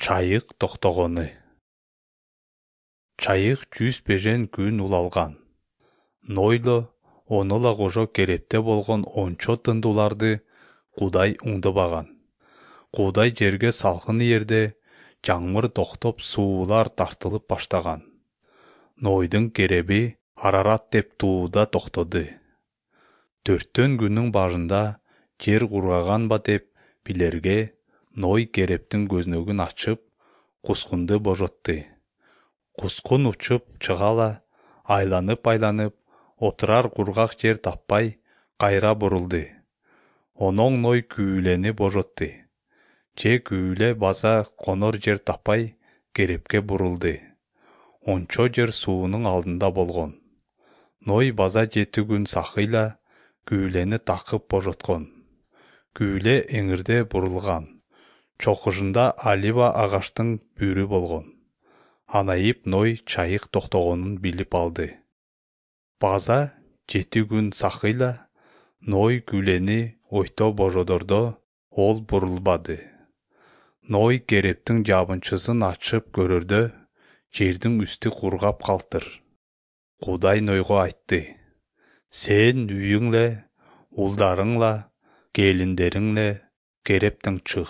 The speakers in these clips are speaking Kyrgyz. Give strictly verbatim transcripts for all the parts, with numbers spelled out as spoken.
Чайык токтогону. Чайык жүз бежен күн улалган. Нойло онола кожо керепте болгон ончо тындууларды Кудай уңдубаган. Кудай жерге салкын жерде жаңмыр токтоп суулар тартылып баштаган. Нойдун кереби Арарат деп тууда токтоду. Төрттөн күнүн башында жер кургаганба деп билерге Ной керептин көзнөгүн ачып, кускунду божотту. Кускун учуп чыгала, айланып-айланып, отурар кургак жер таппай, кайра бурулду. Оноң Ной күүлени божотту. Же күүле база конор жер таппай, керепке бурулду. Ончо жер суунун алдында болгон. Ной база жети күн сакыйла күүлени такып божоткон. Күүле эңирде бурулган. Чокушунда алива агаштын бүрү болгон. Анайып Ной чайык токтогонун билип алды. База жети күн сакыйла Ной күүлени ойто божодордо ол бурулбады. Ной керептин жабынчысын ачып көрөрдө жердин үстү кургап калыптыр. Кудай Нойго айтты: Сен үйүңле, улдарыңла, келиндериңле керептен чыг.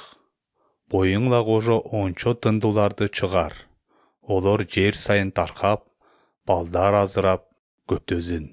Боюңла кожо ончо тындууларды чыгар. Олор жер сайын таркап, балдар азырап көптөзүн.